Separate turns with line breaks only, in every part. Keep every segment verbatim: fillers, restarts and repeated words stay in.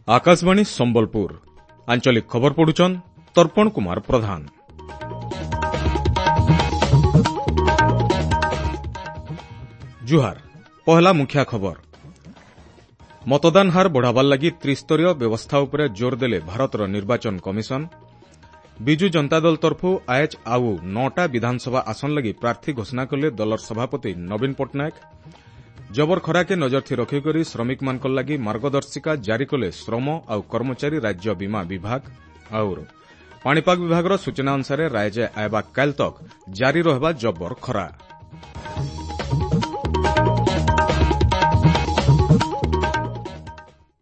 Akashvani Sambalpur ଆଞ୍ଚଳିକ ଖବର ପଢୁଛନ୍ ତର୍ପଣ କୁମାର ପ୍ରଧାନ। ଜୁହାର, ପହଲା ମୁଖ୍ୟ ଖବର। ମତଦାନ ହାର ବଢ଼ାବାର ଲାଗି ତ୍ରିସ୍ତରୀୟ ବ୍ୟବସ୍ଥା ଉପରେ ଜୋର ଦେଲେ ଭାରତର ନିର୍ବାଚନ କମିଶନ। ବିଜୁ ଜନତା ଦଳ ତରଫୁ ଆଏଜ୍ ଆଉ ନଅଟା ବିଧାନସଭା ଆସନ ଲାଗି ପ୍ରାର୍ଥୀ ଘୋଷଣା କଲେ ଦଳର ସଭାପତି ନବୀନ ପଟ୍ଟନାୟକ। ଜବର ଖରାକେ ନଜରଥି ରଖିକରି ଶ୍ରମିକମାନଙ୍କ ଲାଗି ମାର୍ଗଦର୍ଶିକା ଜାରି କଲେ ଶ୍ରମ ଆଉ କର୍ମଚାରୀ ରାଜ୍ୟ ବୀମା ବିଭାଗ। ଆଉ ପାଣିପାଗ ବିଭାଗର ସୂଚନା ଅନୁସାରେ ରାୟଜେ ଆଇବା କାଲ୍ ତକ୍ ଜାରି ରହିବା ଜବର ଖରା।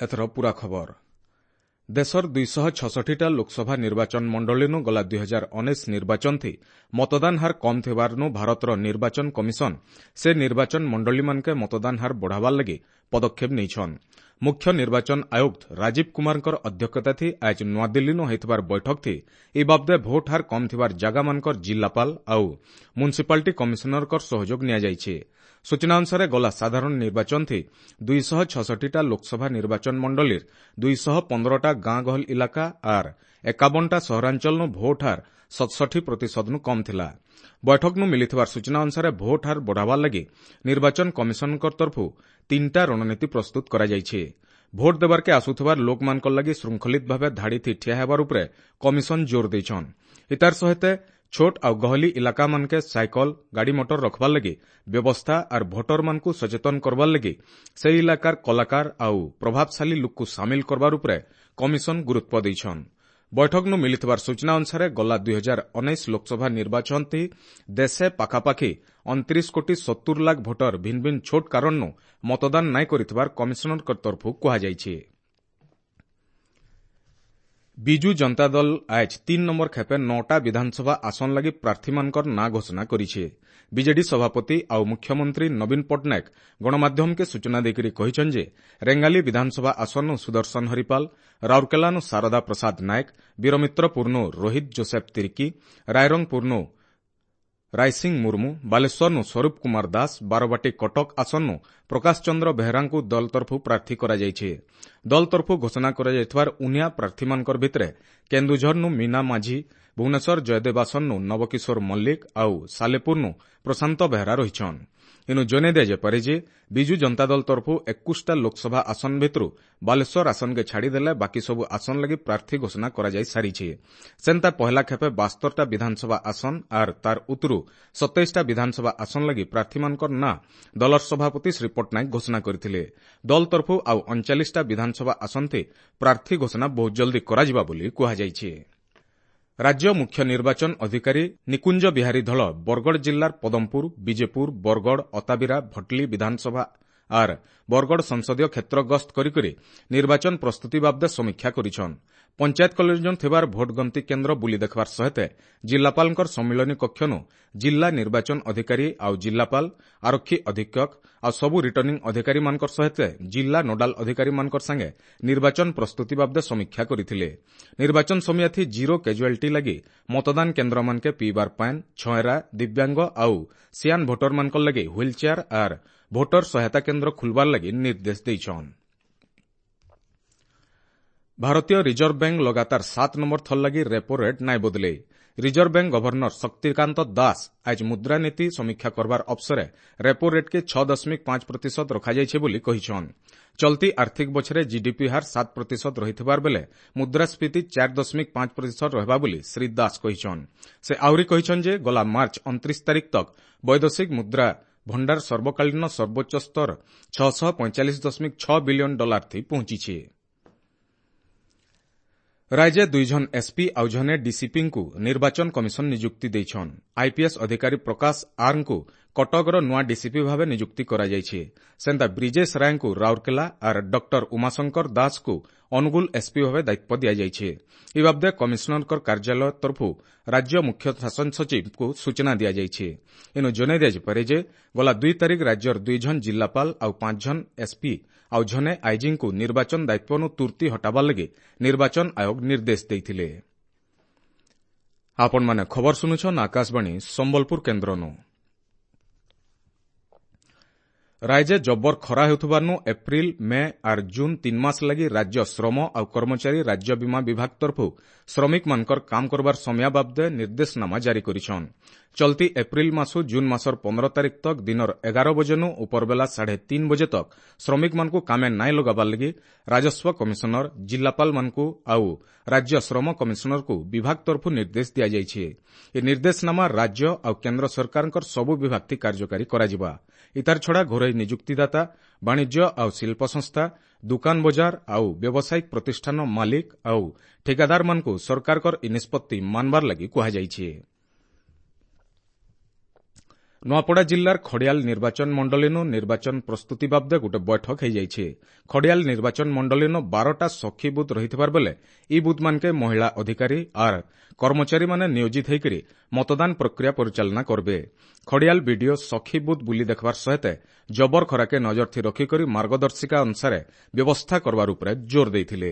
ଏଥର ପୂରା ଖବର। ଦେଶର ଦୁଇଶହ ଛଷଠିଟା ଲୋକସଭା ନିର୍ବାଚନ ମଣ୍ଡଳୀନୁ ଗଲା ଦୁଇ ହଜାର ଉଣେଇଶ ନିର୍ବାଚନଥି ମତଦାନ ହାର କମ୍ ଥିବାରନୁ ଭାରତର ନିର୍ବାଚନ କମିଶନ ସେ ନିର୍ବାଚନ ମଣ୍ଡଳୀମାନକେ ମତଦାନ ହାର ବଢ଼ାବାର ଲାଗି ପଦକ୍ଷେପ ନେଇଛନ୍। ମୁଖ୍ୟ ନିର୍ବାଚନ ଆୟୁକ୍ତ ରାଜୀବ କୁମାରଙ୍କର ଅଧ୍ୟକ୍ଷତାଥି ଆଜ ନୂଆଦିଲ୍ଲୀନୁ ହୋଇଥିବାର ବୈଠକଥି ଏ ବାବଦେ ଭୋଟ ହାର କମ୍ ଥିବାର ଜାଗାମାନଙ୍କର ଜିଲ୍ଲାପାଳ ଆଉ ମ୍ୟୁନିସିପାଲିଟି କମିଶନରଙ୍କର ସହଯୋଗ ନିଆଯାଇଛି। ସୂଚନା ଅନୁସାରେ ଗଲା ସାଧାରଣ ନିର୍ବାଚନଥି ଦୁଇଶହ ଛଷଠିଟା ଲୋକସଭା ନିର୍ବାଚନ ମଣ୍ଡଳୀର ଦୁଇଶହ ପନ୍ଦରଟା ଗାଁ ଗହଲ ଇଲାକା ଆର୍ ଏକାବନଟା ସହରାଞ୍ଚଳନୁ ଭୋଟ ହାର ସତଷଠି ପ୍ରତିଶତନୁ କମ୍ ଥିଲା। ବୈଠକନୁ ମିଳିଥିବାର ସୂଚନା ଅନୁସାରେ ଭୋଟ ହାର ବଢ଼ାବାର ଲାଗି ନିର୍ବାଚନ କମିଶନଙ୍କ ତରଫରୁ ତିନିଟା ରଣନୀତି ପ୍ରସ୍ତୁତ କରାଯାଇଛି। ଭୋଟ ଦେବାର୍କେ ଆସୁଥିବାର ଲୋକମାନଙ୍କର ଲାଗି ଶୃଙ୍ଖଳିତ ଭାବେ ଧାଡ଼ିଥି ଠିଆ ହେବାର ଉପରେ କମିଶନ ଜୋର ଦେଇଛନ୍। ଇତାର ସହିତ ଛୋଟ ଆଉ ଗହଲି ଇଲାକାମାନକେ ସାଇକଲ, ଗାଡ଼ିମଟର ରଖବାର ଲାଗି ବ୍ୟବସ୍ଥା ଆର୍ ଭୋଟରମାନଙ୍କୁ ସଚେତନ କରବାର ଲାଗି ସେହି ଇଲାକାର କଳାକାର ଆଉ ପ୍ରଭାବଶାଳୀ ଲୋକକୁ ସାମିଲ କରବାର ଉପରେ କମିଶନ ଗୁରୁତ୍ୱ ଦେଇଛନ୍। ବୈଠକନୁ ମିଳିଥିବାର ସୂଚନା ଅନୁସାରେ ଗଲା ଦୁଇ ହଜାର ଉଣେଇଶ ଲୋକସଭା ନିର୍ବାଚନଥି ଦେଶେ ପାଖାପାଖି ଅଣତିରିଶ କୋଟି ସତୁର ଲାଖ ଭୋଟର ଭିନ୍ନ ଭିନ୍ନ ଛୋଟ କାରଣନୁ ମତଦାନ ନାଇଁ କରିଥିବାର କମିଶନରଙ୍କ ତରଫରୁ କୁହାଯାଇଛି। ବିଜୁ ଜନତା ଦଳ ଆଏଜ୍ ତିନ୍ ନମ୍ବର ଖେପେ ନଅଟା ବିଧାନସଭା ଆସନ ଲାଗି ପ୍ରାର୍ଥୀମାନଙ୍କର ନାଁ ଘୋଷଣା କରିছে। ବିଜେଡି ସଭାପତି ଆଉ ମୁଖ୍ୟମନ୍ତ୍ରୀ ନବୀନ ପଟ୍ଟନାୟକ ଗଣମାଧ୍ୟମକେ ସୂଚନା ଦେଇକରି କହିଛନ୍ ଯେ ରେଙ୍ଗାଲି ବିଧାନସଭା ଆସନୁ ସୁଦର୍ଶନ ହରିପାଲ, ରାଉରକେଲାନୁ ଶାରଦା ପ୍ରସାଦ ନାୟକ, ବୀରମିତ୍ରପୁରନୁ ରୋହିତ ଜୋସେଫ ତିର୍କି, ରାଇରଙ୍ଗପୁରନୁ ରାଇସିଂ ମୁର୍ମୁ, ବାଲେଶ୍ୱରନୁ ସ୍ୱରୂପ କୁମାର ଦାସ, ବାରବାଟୀ କଟକ ଆସନୁ ପ୍ରକାଶ ଚନ୍ଦ୍ର ବେହେରାଙ୍କୁ ଦଳ ତରଫରୁ ପ୍ରାର୍ଥୀ କରାଯାଇଛି। ଦଳ ତରଫରୁ ଘୋଷଣା କରାଯାଇଥିବାର ଉନିଆ ପ୍ରାର୍ଥୀମାନଙ୍କର ଭିତରେ କେନ୍ଦୁଝରନୁ ମୀନା ମାଝୀ, ଭୁବନେଶ୍ୱର ଜୟଦେବ ଆସନୁ ନବକିଶୋର ମଲ୍ଲିକ ଆଉ ସାଲେପୁରନୁ ପ୍ରଶାନ୍ତ ବେହେରା ରହିଛନ୍। ଇନୁ ଜଣାଇ ଦିଆଯାଇପାରେ ଯେ ବିଜୁ ଜନତା ଦଳ ତରଫରୁ ଏକୋଇଶଟା ଲୋକସଭା ଆସନ ଭିତରୁ ବାଲେଶ୍ୱର ଆସନକେ ଛାଡ଼ିଦେଲେ ବାକି ସବୁ ଆସନ ଲାଗି ପ୍ରାର୍ଥୀ ଘୋଷଣା କରାଯାଇ ସାରିଛି। ସେନ୍ତା ପହଲା ଖେପେ ବାସ୍ତରଟା ବିଧାନସଭା ଆସନ ଆର୍ ତାର ଉତ୍ତରୁ ସତେଇଶଟା ବିଧାନସଭା ଆସନ ଲାଗି ପ୍ରାର୍ଥୀମାନଙ୍କର ନାଁ ଦଳର ସଭାପତି ଶ୍ରୀ ପଟ୍ଟନାୟକ ଘୋଷଣା କରିଥିଲେ। ଦଳ ତରଫରୁ ଆଉ ଅଣଚାଳିଶଟା ବିଧାନସଭା ଆସନଥି ପ୍ରାର୍ଥୀ ଘୋଷଣା ବହୁତ ଜଲ୍ଦି କରାଯିବା ବୋଲି କୁହାଯାଇଛି। ରାଜ୍ୟ ମୁଖ୍ୟ ନିର୍ବାଚନ ଅଧିକାରୀ ନିକୁଞ୍ଜ ବିହାରୀ ଧଳ ବରଗଡ଼ ଜିଲ୍ଲାର ପଦମପୁର, ବିଜେପୁର, ବରଗଡ଼, ଅତାବିରା, ଭଟଲି ବିଧାନସଭା ଆର୍ ବରଗଡ଼ ସଂସଦୀୟ କ୍ଷେତ୍ର ଗସ୍ତ କରିକରି ନିର୍ବାଚନ ପ୍ରସ୍ତୁତି ବାବଦେ ସମୀକ୍ଷା କରିଛନ୍। ପଞ୍ଚାୟତ କଲୋନୀ ଥିବାର ଭୋଟ ଗଣତି କେନ୍ଦ୍ର ବୁଲି ଦେଖିବାର ସହିତ ଜିଲ୍ଲାପାଳଙ୍କର ସମ୍ମିଳନୀ କକ୍ଷନୁ ଜିଲ୍ଲା ନିର୍ବାଚନ ଅଧିକାରୀ ଆଉ ଜିଲ୍ଲାପାଳ, ଆରକ୍ଷୀ ଅଧୀକ୍ଷକ ଆଉ ସବୁ ରିଟର୍ଣ୍ଣିଂ ଅଧିକାରୀମାନଙ୍କର ସହିତ ଜିଲ୍ଲା ନୋଡାଲ ଅଧିକାରୀମାନଙ୍କର ସାଙ୍ଗେ ନିର୍ବାଚନ ପ୍ରସ୍ତୁତି ବାବଦେ ସମୀକ୍ଷା କରିଥିଲେ। ନିର୍ବାଚନ ସମୟାଥି ଜିରୋ କାଜୁଆଲିଟି ଲାଗି ମତଦାନ କେନ୍ଦ୍ରମାନକେ ପିଇବାର ପାଏନ୍, ଛଏରା, ଦିବ୍ୟାଙ୍ଗ ଆଉ ସିଆନ୍ ଭୋଟରମାନଙ୍କର ଲାଗି ହ୍ୱିଲ୍ ଚେୟାର ଆର୍ ଭୋଟର ସହାୟତା କେନ୍ଦ୍ର ଖୁଲବାର ଲାଗି ନିର୍ଦ୍ଦେଶ ଦେଇଛନ୍। ଭାରତୀୟ ରିଜର୍ଭ ବ୍ୟାଙ୍କ ଲଗାତାର ସାତ ନମ୍ବର ଥର ଲାଗି ରେପୋ ରେଟ୍ ନାଇଁ ବଦଲେଇ। Reserve bank governor Shaktikanta Das ଆଜ ମୁଦ୍ରାନୀତି ସମୀକ୍ଷା କରବାର ଅବସରେ ରେପୋ ରେଟ୍କେ ଛଅ ଦଶମିକ ପାଞ୍ଚ ପ୍ରତିଶତ ରଖାଯାଇଛି ବୋଲି କହିଛନ୍। ଚଲତି ଆର୍ଥିକ ବଛରେ ଜିଡିପି ହାର ସାତ ପ୍ରତିଶତ ରହିଥିବାର ବେଲେ ମୁଦ୍ରାସ୍ଫୀତି ଚାରି ଦଶମିକ ପାଞ୍ଚ ପ୍ରତିଶତ ରହିବା ବୋଲି ଶ୍ରୀ ଦାସ କହିଛନ୍। ସେ ଆହୁରି କହିଛନ୍ ଯେ ଗଲା ମାର୍ଚ୍ଚ ଅଣତିରିଶ ତାରିଖ ତକ୍ ବୈଦେଶିକ ମୁଦ୍ରା ଭଣ୍ଡାର ସର୍ବକାଳୀନ ସର୍ବୋଚ୍ଚ ସ୍ତର ଛଅଶହ ପଇଁଚାଳିଶ ଦଶମିକ ଛଅ ବିଲିୟନ ଡଲାର ଥି ପହଞ୍ଚିଛି। ରାଜ୍ୟ ଦୁଇଜଣ ଏସ୍ପି ଆଉ ଜଣେ ଡିସିପିଙ୍କୁ ନିର୍ବାଚନ କମିଶନ ନିଯୁକ୍ତି ଦେଇଛନ୍। ଆଇପିଏସ୍ ଅଧିକାରୀ ପ୍ରକାଶ ଆର୍ଙ୍କୁ କଟକର ନୂଆ ଡିସିପି ଭାବେ ନିଯୁକ୍ତି କରାଯାଇଛି। ସେନ୍ତା ବ୍ରିଜେଶ ରାୟଙ୍କୁ ରାଉରକେଲା ଆର୍ ଡକ୍ଟର ଉମାଶଙ୍କର ଦାସଙ୍କୁ ଅନୁଗୁଳ ଏସ୍ପି ଭାବେ ଦାୟିତ୍ୱ ଦିଆଯାଇଛି। ଏ ବାବଦେ କମିଶନରଙ୍କ କାର୍ଯ୍ୟାଳୟ ତରଫରୁ ରାଜ୍ୟ ମୁଖ୍ୟ ଶାସନ ସଚିବଙ୍କୁ ସୂଚନା ଦିଆଯାଇଛି। ଏଣୁ ଜଣାଇ ଦିଆଯାଇପାରେ ଯେ ଗଲା ଦୁଇ ତାରିଖ ରାଜ୍ୟର ଦୁଇଜଣ ଜିଲ୍ଲାପାଳ ଆଉ ପାଞ୍ଚ ଜଣ ଏସ୍ପି ଆଉ ଜଣେ ଆଇଜିଙ୍କୁ ନିର୍ବାଚନ ଦାୟିତ୍ୱରୁ ତୁର୍ତ୍ତି ହଟାବାର ଲାଗି ନିର୍ବାଚନ ଆୟୋଗ ନିର୍ଦ୍ଦେଶ ଦେଇଥିଲେ। ଆପଣମାନେ ଖବର ଶୁଣୁଛନ୍ ଆକାଶବାଣୀ ସମ୍ବଲପୁର କେନ୍ଦ୍ରନୁ। ରାଜ୍ୟ ଜବର ଖରା ହେଉଥିବାରୁ ଏପ୍ରିଲ, ମେ ଆର୍ ଜୁନ୍ ତିନି ମାସ ଲାଗି ରାଜ୍ୟ ଶ୍ରମ ଆଉ କର୍ମଚାରୀ ରାଜ୍ୟ ବୀମା ବିଭାଗ ତରଫରୁ ଶ୍ରମିକମାନଙ୍କର କାମ କରବାର ସମୟ ବାବଦେ ନିର୍ଦ୍ଦେଶନାମା ଜାରି କରିଛନ୍। ଚଲତି ଏପ୍ରିଲ ମାସୁ ଜୁନ୍ ମାସର ପନ୍ଦର ତାରିଖ ତକ ଦିନର ଏଗାର ବଜେନୁ ଉପରବେଲା ସାଢ଼େ ତିନି ବଜେ ତକ ଶ୍ରମିକମାନଙ୍କୁ କାମେ ନାଇଁ ଲଗାବାର ଲାଗି ରାଜସ୍ୱ କମିଶନର, ଜିଲ୍ଲାପାଳମାନଙ୍କୁ ଆଉ ରାଜ୍ୟ ଶ୍ରମ କମିଶନରକୁ ବିଭାଗ ତରଫରୁ ନିର୍ଦ୍ଦେଶ ଦିଆଯାଇଛି। ଏ ନିର୍ଦ୍ଦେଶନାମା ରାଜ୍ୟ ଆଉ କେନ୍ଦ୍ର ସରକାରଙ୍କର ସବୁ ବିଭାଗଥି କାର୍ଯ୍ୟକାରୀ କରାଯିବା। ଇତାର ଛଡ଼ା ଘରୋଇ ନିଯୁକ୍ତିଦାତା, ବାଣିଜ୍ୟ ଆଉ ଶିଳ୍ପ ସଂସ୍ଥା, ଦୋକାନ ବଜାର ଆଉ ବ୍ୟବସାୟିକ ପ୍ରତିଷ୍ଠାନ ମାଲିକ ଆଉ ଠିକାଦାରମାନଙ୍କୁ ସରକାରଙ୍କର ଏ ନିଷ୍ପତ୍ତି ମାନବାର ଲାଗି କୁହାଯାଇଛି। ନୂଆପଡ଼ା ଜିଲ୍ଲାର ଖଡ଼ିଆଲ ନିର୍ବାଚନ ମଣ୍ଡଳୀନୁ ନିର୍ବାଚନ ପ୍ରସ୍ତୁତି ବାବଦେ ଗୋଟେ ବୈଠକ ହୋଇଯାଇଛି। ଖଡ଼ିଆଲ ନିର୍ବାଚନ ମଣ୍ଡଳୀନୁ ବାରଟା ସଖୀ ବୁଥ୍ ରହିଥିବାର ବେଲେ ଇ ବୁଥ୍ମାନକେ ମହିଳା ଅଧିକାରୀ ଆର୍ କର୍ମଚାରୀମାନେ ନିୟୋଜିତ ହୋଇକରି ମତଦାନ ପ୍ରକ୍ରିୟା ପରିଚାଳନା କରବେ। ଖଡ଼ିଆଲ ବିଡିଓ ସଖୀ ବୁଥ୍ ବୁଲି ଦେଖବାର ସହିତ ଜବର ଖରାକେ ନଜରଥି ରଖିକରି ମାର୍ଗଦର୍ଶିକା ଅନୁସାରେ ବ୍ୟବସ୍ଥା କରବାର ଉପରେ ଜୋର ଦେଇଥିଲେ।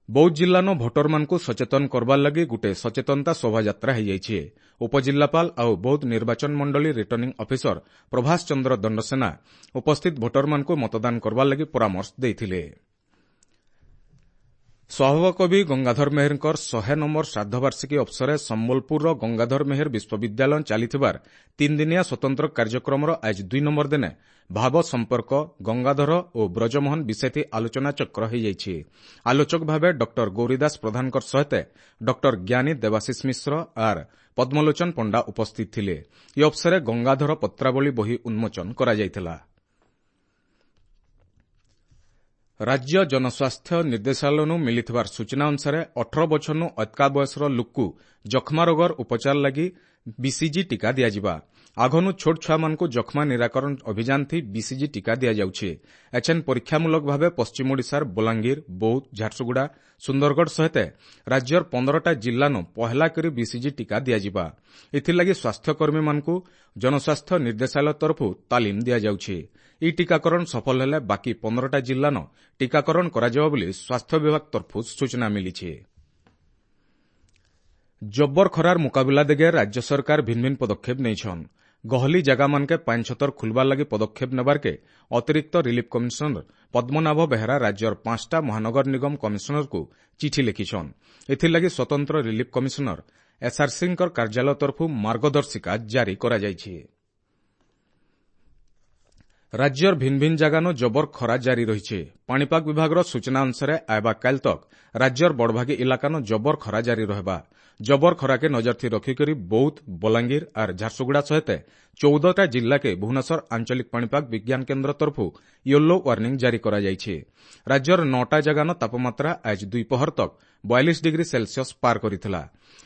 ବୌଦ୍ଧ ଜିଲ୍ଲାନ ଭୋଟରମାନଙ୍କୁ ସଚେତନ କରବାର ଲାଗି ଗୋଟେ ସଚେତନତା ଶୋଭାଯାତ୍ରା ହୋଇଯାଇଛି। ଉପଜିଲ୍ଲାପାଳ ଆଉ ବୌଦ୍ଧ ନିର୍ବାଚନ ମଣ୍ଡଳୀ ରିଟର୍ଣ୍ଣିଂ ଅଫିସର ପ୍ରଭାସ ଚନ୍ଦ୍ର ଦଣ୍ଡସେନା ଉପସ୍ଥିତ ଭୋଟରମାନଙ୍କୁ ମତଦାନ କରବାର ଲାଗି ପରାମର୍ଶ ଦେଇଥିଲେ। ସ୍ୱଭାବକବି ଗଙ୍ଗାଧର ମେହେରଙ୍କର ଶହେ ନମ୍ବର ଶ୍ରାଦ୍ଧବାର୍ଷିକୀ ଅବସରରେ ସମ୍ବଲପୁରର ଗଙ୍ଗାଧର ମେହେର ବିଶ୍ୱବିଦ୍ୟାଳୟ ଚାଲିଥିବାର ତିନିଦିନିଆ ସ୍ୱତନ୍ତ୍ର କାର୍ଯ୍ୟକ୍ରମର ଆଜି ଦୁଇ ନମ୍ବର ଦିନେ ଭାବ ସମ୍ପର୍କ, ଗଙ୍ଗାଧର ଓ ବ୍ରଜମୋହନ ବିଷୟଥି ଆଲୋଚନାଚକ୍ର ହୋଇଯାଇଛି। ଆଲୋଚକ ଭାବେ ଡକ୍ଟର ଗୌରୀଦାସ ପ୍ରଧାନଙ୍କ ସହିତ ଡକ୍ଟର ଜ୍ଞାନୀ ଦେବାଶିଷ ମିଶ୍ର ଆର୍ ପଦ୍ମଲୋଚନ ପଣ୍ଡା ଉପସ୍ଥିତ ଥିଲେ। ଏ ଅବସରରେ ଗଙ୍ଗାଧର ପତ୍ରାବଳୀ ବହି ଉନ୍ମୋଚନ କରାଯାଇଥିଲା। ରାଜ୍ୟ ଜନସ୍ୱାସ୍ଥ୍ୟ ନିର୍ଦ୍ଦେଶାଳୟରୁ ମିଳିଥିବାର ସୂଚନା ଅନୁସାରେ ଅଠର ବଛରନୁ ଅତ୍କା ବୟସର ଲୋକକୁ ଯକ୍ଷ୍ମା ରୋଗର ଉପଚାର ଲାଗି ବିସିଜି ଟିକା ଦିଆଯିବା। ଆଘନୁ ଛୋଟ ଛୁଆମାନଙ୍କୁ ଯକ୍ଷ୍ମା ନିରାକରଣ ଅଭିଯାନ ଥି ବିସିଜି ଟିକା ଦିଆଯାଉଛି। ଏଛେନ୍ ପରୀକ୍ଷାମୂଳକ ଭାବେ ପଶ୍ଚିମ ଓଡ଼ିଶାର ବଲାଙ୍ଗୀର, ବୌଦ୍ଧ, ଝାରସୁଗୁଡ଼ା, ସୁନ୍ଦରଗଡ଼ ସହିତ ରାଜ୍ୟର ପନ୍ଦରଟା ଜିଲ୍ଲାନୁ ପହେଲା କରି ବିସିଜି ଟିକା ଦିଆଯିବା। ଏଥିଲାଗି ସ୍ୱାସ୍ଥ୍ୟକର୍ମୀମାନଙ୍କୁ ଜନସ୍ୱାସ୍ଥ୍ୟ ନିର୍ଦ୍ଦେଶାଳୟ ତରଫରୁ ତାଲିମ ଦିଆଯାଉଛି। ଇ ଟିକାକରଣ ସଫଳ ହେଲେ ବାକି ପନ୍ଦରଟା ଜିଲ୍ଲାନ ଟିକାକରଣ କରାଯିବ ବୋଲି ସ୍ୱାସ୍ଥ୍ୟ ବିଭାଗ ତରଫରୁ ସୂଚନା ମିଳିଛି। ଜବର ଖରାର ମୁକାବିଲା ଦିଗେ ରାଜ୍ୟ ସରକାର ଭିନ୍ନ ଭିନ୍ନ ପଦକ୍ଷେପ ନେଇଛନ୍। ଗହଲି ଜାଗାମାନକେ ପାନ୍ ଛତର ଖୁଲବାର ଲାଗି ପଦକ୍ଷେପ ନେବାରକେ ଅତିରିକ୍ତ ରିଲିଫ୍ କମିଶନର ପଦ୍ମନାଭ ବେହେରା ରାଜ୍ୟର ପାଞ୍ଚଟା ମହାନଗର ନିଗମ କମିଶନରକୁ ଚିଠି ଲେଖିଛନ୍। ଏଥିଲାଗି ସ୍ୱତନ୍ତ୍ର ରିଲିଫ୍ କମିଶନର ଏସ୍ଆର୍ସିଙ୍କର କାର୍ଯ୍ୟାଳୟ ତରଫରୁ ମାର୍ଗଦର୍ଶିକା ଜାରି କରାଯାଇଛି। ରାଜ୍ୟର ଭିନ୍ନ ଭିନ୍ନ ଜାଗାନୁ ଜବର ଖରା ଜାରି ରହିଛି। ପାଣିପାଗ ବିଭାଗର ସୂଚନା ଅନୁସାରେ ଆଇବା କାଲ୍ ତକ୍ ରାଜ୍ୟର ବଡ଼ଭାଗୀ ଇଲାକାନୁ ଜବର ଖରା ଜାରି ରହିବା। ଜବର ଖରାକେ ନଜରଥି ରଖିକରି ବୌଦ୍ଧ, ବଲାଙ୍ଗୀର ଆର୍ ଝାରସୁଗୁଡ଼ା ସହିତ ଚଉଦଟା ଜିଲ୍ଲାକେ ଭୁବନେଶ୍ୱର ଆଞ୍ଚଳିକ ପାଣିପାଗ ବିଜ୍ଞାନ କେନ୍ଦ୍ର ତରଫରୁ ୟେଲୋ ୱାର୍ଣ୍ଣିଂ ଜାରି କରାଯାଇଛି। ରାଜ୍ୟର ନଅଟା ଜାଗାନ ତାପମାତ୍ରା ଆଜି ଦ୍ୱିପହର ତକ୍ ବୟାଳିଶ ଡିଗ୍ରୀ ସେଲସିୟସ୍ ପାର କରିଥିଲା।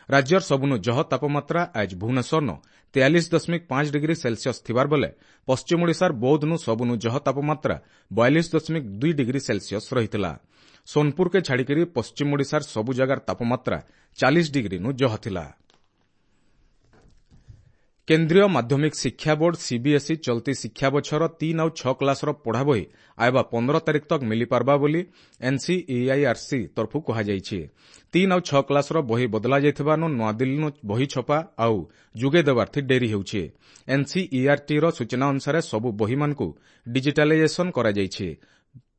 ରାଜ୍ୟର ସବୁନୁ ଜହ ତାପମାତ୍ରା ଆଜି ଭୁବନେଶ୍ୱରନ ତେୟାଳିଶ ଦଶମିକ ପାଞ୍ଚ ଡିଗ୍ରୀ ସେଲସିୟସ୍ ଥିବାର ବେଲେ ପଶ୍ଚିମ ଓଡ଼ିଶାର ବୌଦ୍ଧନୁ ସବୁନୁ ଜହ ତାପମାତ୍ରା ବୟାଳିଶ ଦଶମିକ ଦୁଇ ଡିଗ୍ରୀ ସେଲସିୟସ୍ ରହିଥିଲା। ସୋନପୁରକେ ଛାଡ଼ିକରି ପଶ୍ଚିମ ଓଡ଼ିଶାର ସବୁ ଜାଗାର ତାପମାତ୍ରା ଚାଳିଶ ଡିଗ୍ରୀନୁ ଜହ ଥିଲା। କେନ୍ଦ୍ରୀୟ ମାଧ୍ୟମିକ ଶିକ୍ଷା ବୋର୍ଡ ସିବିଏସ୍ଇ ଚଲତି ଶିକ୍ଷା ବଛର ତିନ୍ ଆଉ ଛଅ କ୍ଲାସର ପଢ଼ା ବହି ଆଇବା ପନ୍ଦର ତାରିଖ ତକ୍ ମିଳିପାରବା ବୋଲି ଏନ୍ସିଇଆଇଆର୍ସି ତରଫରୁ କୁହାଯାଇଛି। ତିନ୍ ଆଉ ଛଅ କ୍ଲାସର ବହି ବଦଲା ଯାଇଥିବାରୁ ନୂଆଦିଲ୍ଲୀରୁ ବହି ଛପା ଆଉ ଯୋଗାଇ ଦେବାର୍ଥି ଡେରି ହେଉଛି। ଏନ୍ସିଇଆର୍ଟିର ସୂଚନା ଅନୁସାରେ ସବୁ ବହିମାନଙ୍କୁ ଡିଜିଟାଲାଇଜେସନ୍ କରାଯାଇଛି।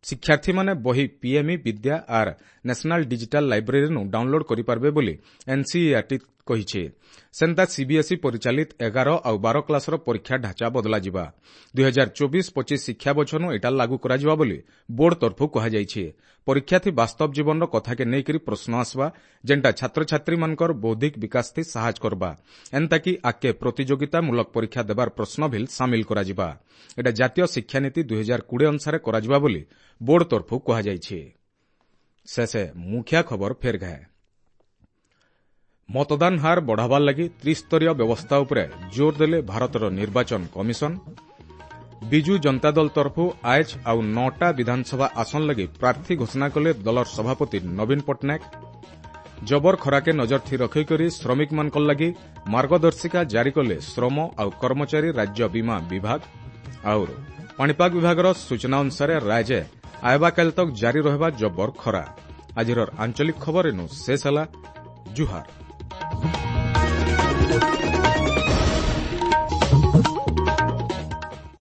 ଶିକ୍ଷାର୍ଥୀମାନେ ବହି ପିଏମ୍ଇ ବିଦ୍ୟା ଆର୍ ନ୍ୟାସନାଲ୍ ଡିଜିଟାଲ୍ ଲାଇବ୍ରେରୀନୁ ଡାଉନଲୋଡ୍ କରିପାରିବେ ବୋଲି ଏନ୍ସିଇଆର୍ଟି କହିଛି। ସେନ୍ତା ସିବିଏସ୍ଇ ପରିଚାଳିତ ଏଗାର ଆଉ ବାର କ୍ଲାସର ପରୀକ୍ଷା ଢାଞ୍ଚା ବଦଲାଯିବା। ଦୁଇ ହଜାର ଚବିଶ ପଚିଶ ଶିକ୍ଷା ବଛନୁ ଏଇଟା ଲାଗୁ କରାଯିବା ବୋଲି ବୋର୍ଡ ତରଫରୁ କୁହାଯାଇଛି। ପରୀକ୍ଷାଥି ବାସ୍ତବ ଜୀବନର କଥାକେ ନେଇକରି ପ୍ରଶ୍ନ ଆସବା, ଯେନ୍ଟା ଛାତ୍ରଛାତ୍ରୀମାନଙ୍କର ବୌଦ୍ଧିକ ବିକାଶଥି ସାହାଯ୍ୟ କରବା। ଏନ୍ତାକି ଆଗକେ ପ୍ରତିଯୋଗିତାମୂଳକ ପରୀକ୍ଷା ଦେବାର ପ୍ରଶ୍ନ ଭିଲ୍ ସାମିଲ କରାଯିବା। ଏଇଟା ଜାତୀୟ ଶିକ୍ଷାନୀତି ଦୁଇ ହଜାର କୋଡ଼ିଏ ଅନୁସାରେ କରାଯିବା ବୋଲି ବୋର୍ଡ ତରଫରୁ କୁହାଯାଇଛି। ଶେଷେ ମୁଖିଆ ଖବର ଫେର ଘାଏ। ମତଦାନ ହାର ବଢ଼ାବାର ଲାଗି ତ୍ରିସ୍ତରୀୟ ବ୍ୟବସ୍ଥା ଉପରେ ଜୋର ଦେଲେ ଭାରତର ନିର୍ବାଚନ କମିଶନ। ବିଜୁ ଜନତା ଦଳ ତରଫରୁ ଆଏଜ୍ ଆଉ ନଅଟା ବିଧାନସଭା ଆସନ ଲାଗି ପ୍ରାର୍ଥୀ ଘୋଷଣା କଲେ ଦଳର ସଭାପତି ନବୀନ ପଟ୍ଟନାୟକ। ଜବର ଖରାକେ ନଜରଥି ରଖିକରି ଶ୍ରମିକମାନଙ୍କର ଲାଗି ମାର୍ଗଦର୍ଶିକା ଜାରି କଲେ ଶ୍ରମ ଆଉ କର୍ମଚାରୀ ରାଜ୍ୟ ବୀମା ବିଭାଗ। ଆଉ ପାଣିପାଗ ବିଭାଗର ସୂଚନା ଅନୁସାରେ ରାଜ୍ୟ ଆଇବା କାଲି ତକ୍ ଜାରି ରହିବା ଜବର ଖରା। ଆଜିର ଆଞ୍ଚଳିକ ଖବର ଏନୁ ଶେଷ ହେଲା। ଜୁହାର।